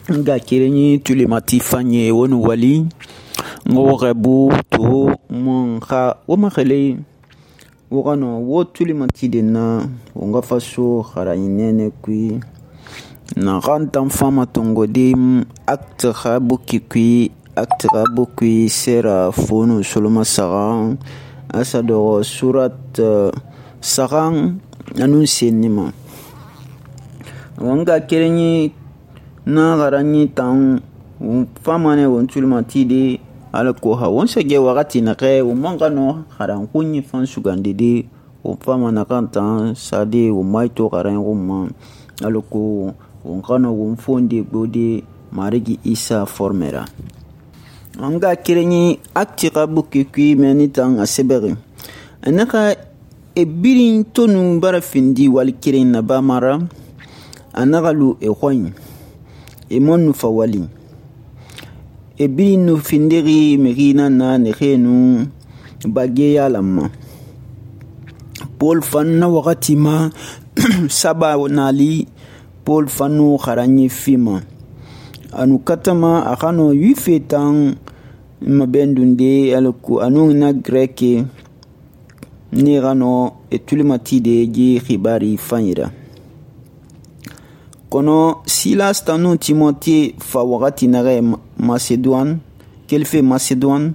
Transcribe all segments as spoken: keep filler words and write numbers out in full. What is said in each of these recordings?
nga kerenyi tulemati fanye woni wali ngo rebu to mon kha wo makhale wo gano wo tulemati denna wo nga faso kharayinene kui na rantan fama tongo de acte khabuki kui acte khabuki sera fonu soloma saran asado surat uh, saran anun senima wanga kerenyi na garanyi tan fama ne won tulemati de alako ha won sege wakati na ke wo mangano haran kunyi fan sugande de wo fama na kantan sade wo maito garan rumma alako won kano won fonde gbode marigi isa formera anga kirenyi akti kabuki kui meni tan asebere anaka ebirin tonu bara findi wal kiren na bamara anagalu e khoyin e monu fawali e binu findiri merina na nekhenu bagye yalamma Paul fanna wakati ma saba nali Paul fanu kharanyi fima anu katama akhano yifetan mabendunde alku anu na greke ni gano etulimati de ji khibari fanyira kono Silas tanu Timothée fa wakati nare Macédoine kelfe Macédoine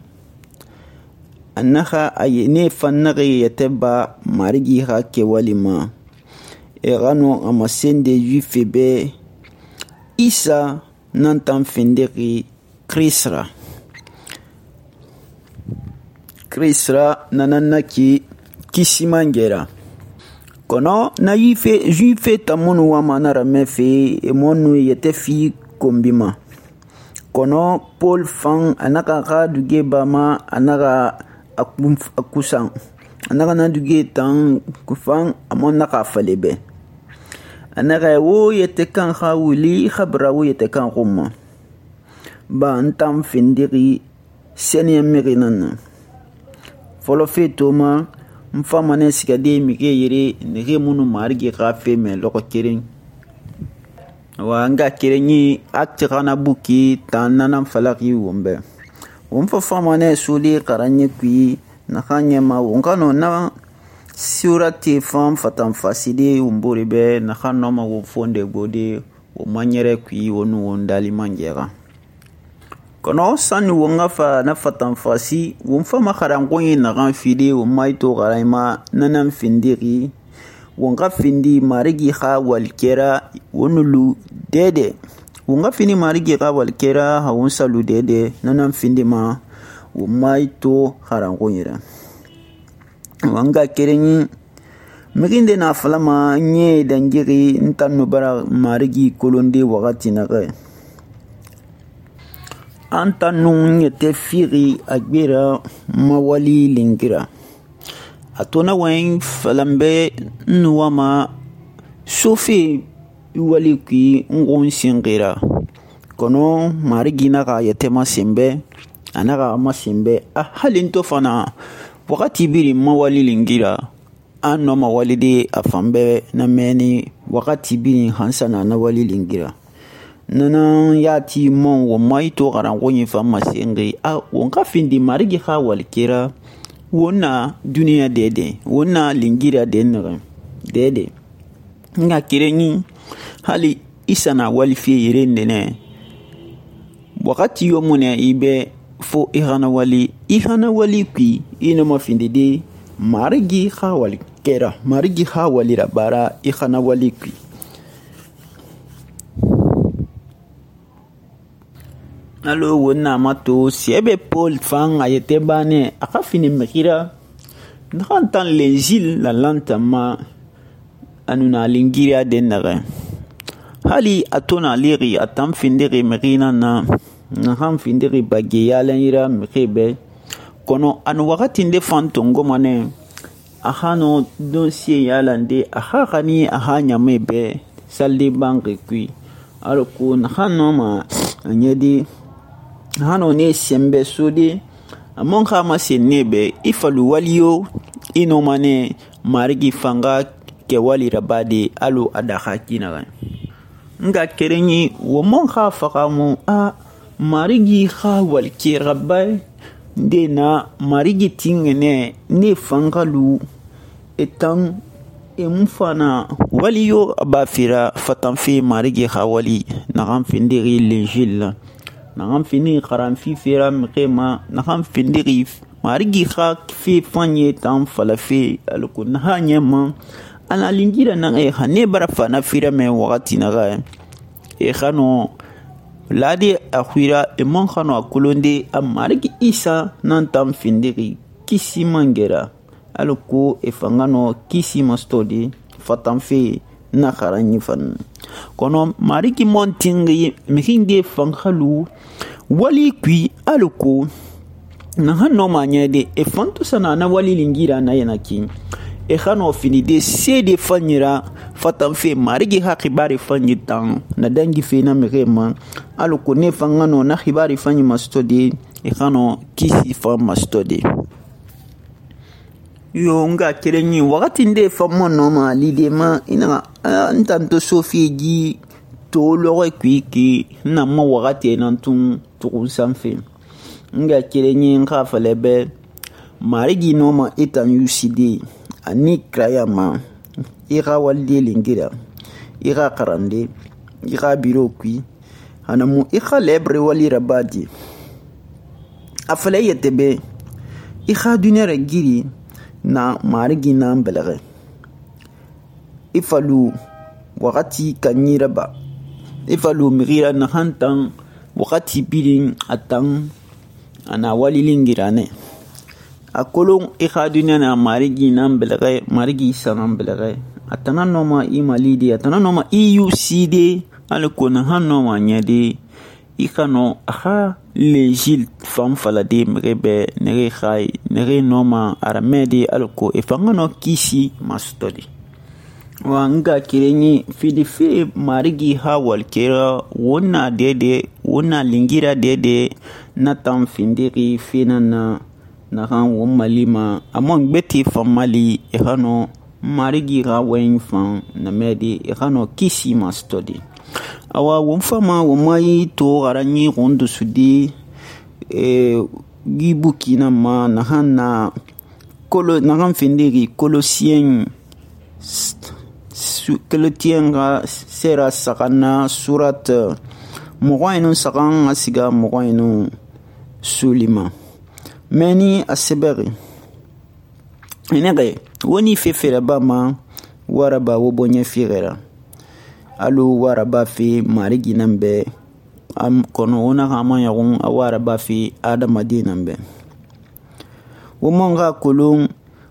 annaha ayene fannare yateba marigi ha ke walima e gano amasende juife be Isa nantan finderi Krisra Krisra nananaki kisimangera kono na yife juife tamunu wa manara mefe e monu yete fi kombima kono Paul fan anaka ga duge bama anaka akusan anaka na duge tan kufan amon naka falebe anaka wo yete kan khawuli khabra wo yete kan rumma ba antam findiri seni merinan folo fe toma mfama ne sikade mike yere nege munu marigi gafe me loko keren wa nga kerenyi akti kana buki tanana falaki wombe womfa fama ne suli qaranye kui na khanye ma wonkano na surati fam fatan faside umburi be na khanno ma wo fonde gode wo manyere kui wonu wondali mangera kono sani wonga fa na fatan fasi wonfa makharangoyi na gan fide wo maito garaima nanan findiri wonga findi marigi kha walkera wonulu dede wonga fini marigi kha walkera ha won salu dede nanan findi ma wo maito kharangoyira wanga kerenyi miginde na falama nye dangiri ntanu bara marigi kolonde wakati na ga anta nun yete firi agbera mawali lingira atona wen falambe nuwama sofi wali ki ngon singira kono marigi naga yete masimbe anaga masimbe a halinto fana wakati biri mawali lingira anno mawali de afambe na meni wakati biri hansana na wali lingira nana yati mon wo maito garango nyifa masengi a wonka findi marigi kha walkira wona duniya dede wona lingira denre dede nga kirenyi hali isana walfi yirende ne wakati yomune ibe fo ihana wali ihana wali ki ina mafindi de marigi kha walkira marigi kha walira bara ihana wali ki alo wona mato siebe Paul fan ayete bane aka fini mekira ndantan lenjil la lantama anuna lingiria denare hali atona liri atam findiri merina na na ham findiri bage yalanira mekebe kono anu wakati nde fantongo mane ahano dossier yalande ahakani ahanya mebe salde banque kui alo ko hano ma anyedi hano ne sembe sodi amon khama senebe ifalu waliyo ino mane marigi fanga ke wali rabade alu adakha kina nga kerenyi wo mon kha fakamu a marigi kha walke rabbai de na marigi tingene ne fangalu etan emufana wali yo abafira fatanfe marigi kha wali na kan findiri l'injil na kan fini qaran fi fera mqema na kan findiri marigi kha fi fanye tan falafe alkun hanyama ana lingira na e khane barafa na fira me wakati na ga e khano ladi akhira e mon khano akulonde amariki isa nan tam findiri kisi mangera alko e fangano kisi mastodi fatanfe na kharanyi fan kono mariki montingi mihinge fangalu wali kui alko na hanno manyede e fanto sana na wali lingira na yanaki e khano finide sede fanyira fatanfe marigi ha khibari fanyi tan na dangi fe na mrema alko ne fangano na khibari fanyi mastodi e khano kisi fa mastodi yo nga kerenyi wakati nde famo no ma lidema ina ntanto sofi gi to lore kwiki na ma wakati nantun tukun sanfe nga kerenyi nga falebe marigi no ma etan yuside ani krayama ira walde lingira ira karande ira biro kwi hanamu ira lebre wali rabadi afale yetebe ira dunere giri na marigi na mbelere ifalu wakati kanyira ba ifalu migira na hantan wakati birin atan ana wali lingirane akolon ikhaduna na marigi na mbelere marigi sana mbelere atana noma imalidi atana noma iucd alkona hanoma nyade ikano aha lejil fam falade mrebe nere khai nere noma aramedi alko efangano kisi mastodi wanga kirenyi fidife marigi hawal kera wona dede wona lingira dede natam findiri finana na kan won malima amon beti famali ehano marigi rawen fan na medi ehano kisi mastodi awa won fama wo mai to garanyi rondo sudi e gibuki na ma na hanna kolo na kan findiri kolosien keletienga sera sakana surat mogoyinu sakan asiga mogoyinu sulima meni aseberi enege woni fefere bama waraba wo bonye firera alu waraba fi marigi nambe am kono ona kama yagun waraba fi adamadi nambe wo monga kulun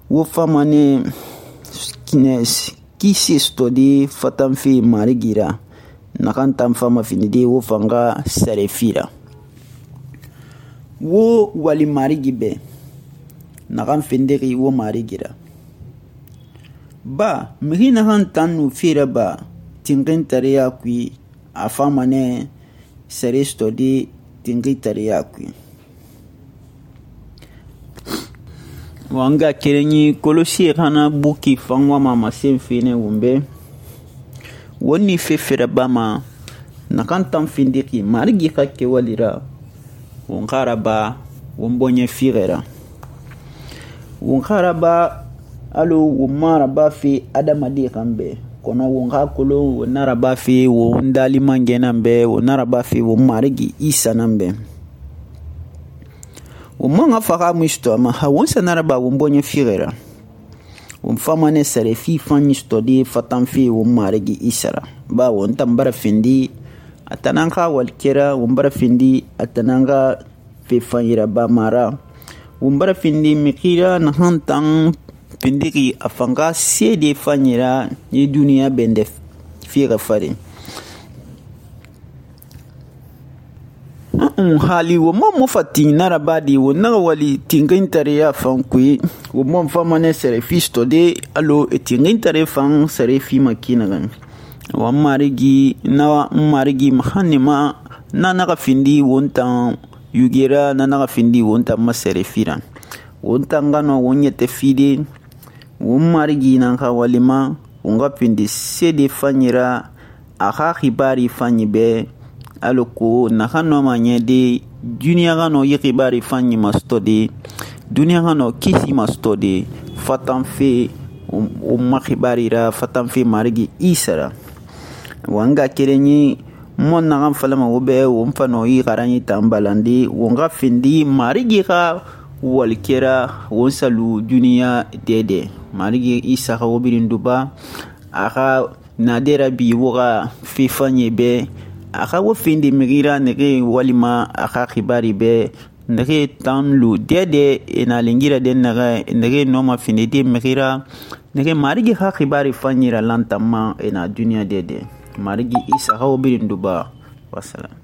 wo famane kines kisi stodi fatam fi marigira nakantam fama finidi wo fanga sarefira wo wali marigi be nakan findiri wo marigira ba miri nakan tanu fira ba tingin tariya kui afama ne sare stodi tingin tariya kui wanga kerenyi kolosi kana buki fangwa mama senfine wumbe woni fefere bama nakantam findiki marigi kake walira wonkaraba wombonye firera wonkaraba alo womaraba fi adamadi kambe kono wonka kolo wonaraba fi wondali mangenambe wonaraba fi womarigi isa nambe womanga faka musto ma hawonsa naraba wombonye firera womfamane sare fi fanyi stodi fatan fi womarigi isara ba wontambara findi atananga walkera wombara findi atananga fe fanyira ba mara wombara findi mikira na hantan findiki afanga sede fanyira ni duniya bende fira fare un hali wo mo mo fati narabadi wo na wali tingin tare ya fankui wo mo famane sere fisto de alo tingin tare fan sere fi makina gan wa marigi na marigi mahanima na na findi wonta yugera na na findi wonta masere firan wonta ngano wonyete fide wo marigi na ka walima wonga pindi sede fanyira a xa xibari fanyi be alako naxa nɔma ɲɛ de duniya xa nɔ yi xibari fanyi masutɔ de duniya xa nɔ kisi masutɔ de fatanfe o ma xibari ra fatanfe marigi isa ra wa n ga kerenyi mon naxan falama wo bɛ wo n fanɔ yi xaranyi tan balandi wo n xa findi marigi xa walikɛra wo n salu duniya dɛdɛ marigi isa xa wo birin duba a xa nade ra bi wo xa fe fanye bɛ a xa wo findi mixira nege walima a xa xibari bɛ nege tan lu dɛdɛ e na lengira den nege nege nɔma findi de mixira nege marigi xa xibari fanyira lantanma e na duniya dɛdɛ marigi isa xa wo birin duba wassalam.